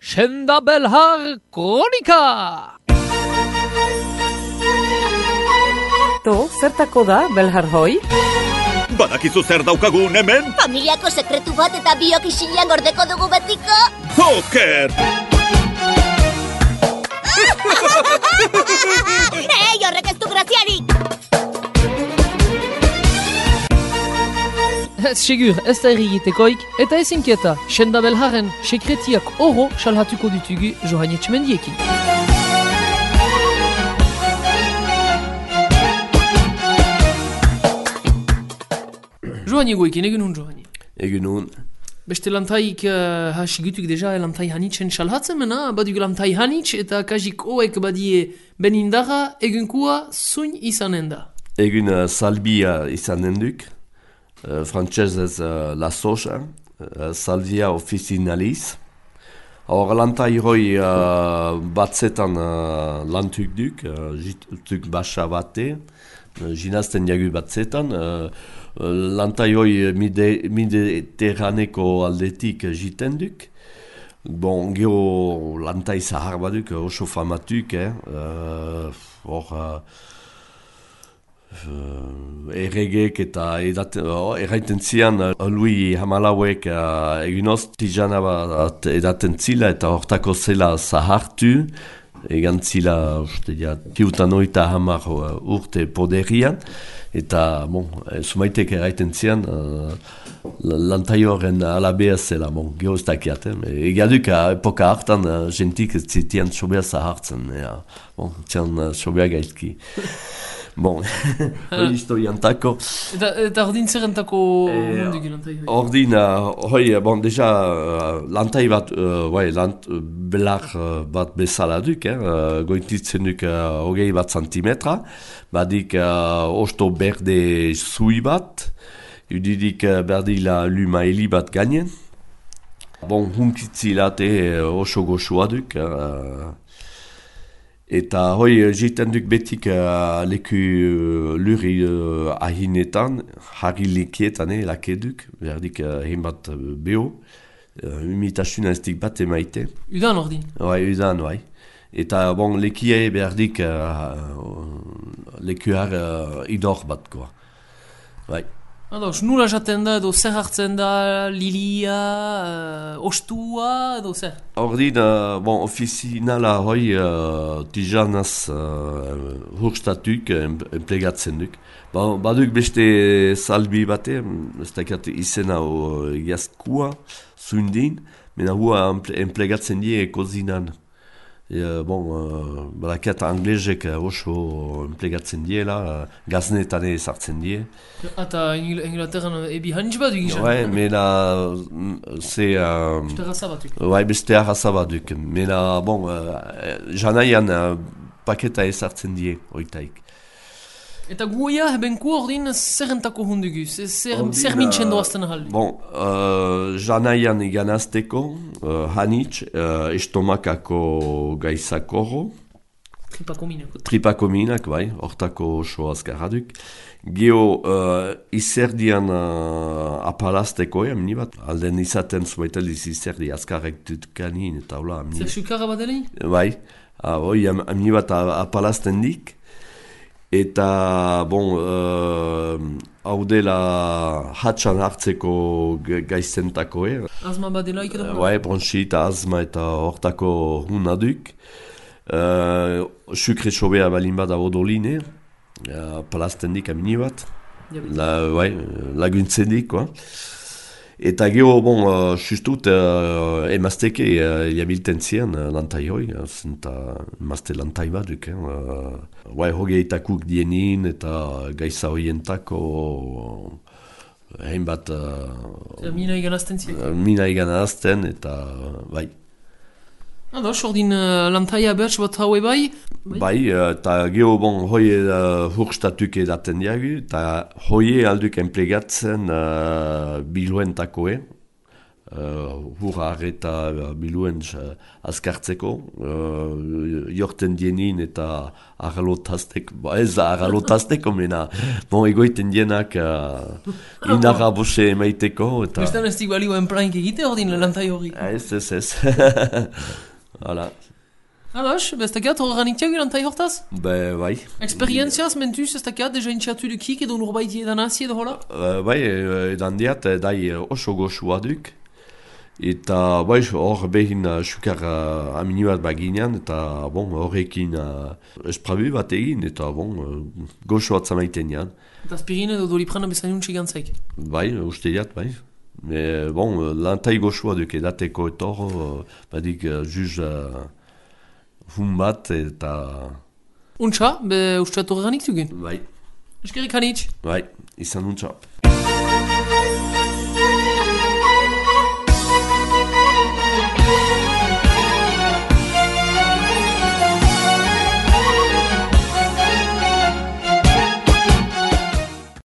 Senda Belhar Kronika! To, zertako da, Belhar hoi? Badakizu zer daukagun hemen? Familiako sekretu bat eta biok isilean gordeko dugu betiko. Oker! Horrek ez du graziarik! Ez segur, ez da errigitekoik, eta ez inkieta, Senda Belharren sekretiak oro salhatuko ditugu Johan Etxemendiekin. Johan egoekin, egun hon Johan. Egun hon. Beste lantaik hasigutuk deja lantai hanitzen salhatzen mena, baduk lantai hanitz eta kajik oek badie benindara egunkua zuin izanen da. Egun salbia izanen duk, frantsesez la soja, salvia officinalis. Hor lantai hoi batzetan lantuk duk, jituk basa bate, jinazten jagu batzetan, lantai hoi mediterraneko aldetik jiten duk. Bon, geho lantai zahar baduk, oso famatuk, hor erregek eta erraiten zian lui hamalauek eginoz tijana bat edaten zila eta hortako zela zahartu egan zila tiutan oita hamar urte poderian eta sumaitek erraiten zian lantai horren alabea zela, geho ez dakiat egaduk epoka hartan jentik ez zitian sobea zahartzen zian sobea gaizki. Bon, hoi historiantako. Eta ordin zerrentako mundik lantai hoi? Ordin, bon, deja lantai bat, belar bat bezala duk, goititzen duk hogei bat santimetra, badik osto berde zui bat, udidik berdila lumaili bat gainen. Bon, hunkitzi late oso goxua duk, eta hoi jiten duk betik leku luri ahinetan, harri lekietan lakeduk, berdik hen bat beho, imitasuna ez dik bat emaite. Udan ordin? Udan, Eta bon, lekie berdik lekuar idor bat, koa. Ados, nula jaten da, edo zer hartzen da, lilia, ostua, edo zer? Ordin, bon, ofizinala hoi tijanaz hurstatuk, enplegatzen duk. Baduk beste salbi bate, ez dakat izena jaskua, zuindin, mena hua enplegatzen die kozinan. Badakat anglezek oso enplegatzen diela, gaznetan sartzen die. Eta Inglaterran ebi hanitz bat duk izan? Mena ze... Beste arraza batuk? Beste arraza batuk. Mena, janaian paketa sartzen die, oitaik. Eta guia hebenku ordin zerrentako hundugu? Zer mintzen doazten ahaldi? Janaian iganazteko, hanitz, estomakako gaizakoro. Tripakominak, hortako oso azkarraduk. Geo izerdian apalazteko, amni bat. Alden izaten zubaitaliz izerdi azkarrek dutkanin eta hola. Zer sukarra bat deli? Amni bat apalazten dik. Eta, hau dela hatxan hartzeko gaizentako, Azma bat dela iketan? Bronxita, azma eta hortako hunaduk. Sukre sobea balin bat abodoline, palazten dik amini bat. Laguntzen dik, Eta geho, justut, emazteke jabilten zian lantai hoi, zenta emazte lantai bat duk, hogeitakuk dienin eta gaiza hoientako hainbat... Mina iganazten zian? Mina iganazten eta, Ados, ordin lantaia bertz bat haue bai? Eta geho, hoi hurstatuk edaten diagu, eta hoi alduk enplegatzen biluentakoe, hurrar eta biluen azkartzeko, jorten dienin eta arralotazteko, ez da arralotazteko mena, egoiten dienak inarra bose emaiteko. Bestan ez dik balioen planik egite ordin lantai hori? Ez. Hala. Ados, ez dakiat horreganiktiak lantai hortaz? Bai. Experientziaz mentuz ez dakiat deja intxatu dukik edo norbaiti edan hazi edo hola? Bai, edan diat, dai oso goxua duk. Eta hor behin sukar aminu bat baginean, eta horrekin esprabu bat egin, eta goxo bat zamaiten jan. Eta aspirin edo doliprana bezain untxik gantzaik? Bai, uste diat, bai. Lantai goxoa duk edateko etor, badik juz hun bat eta... Untxa, usteatu horreganik zugen? Bai. Eskerrik hanitz? Bai, izan untxa.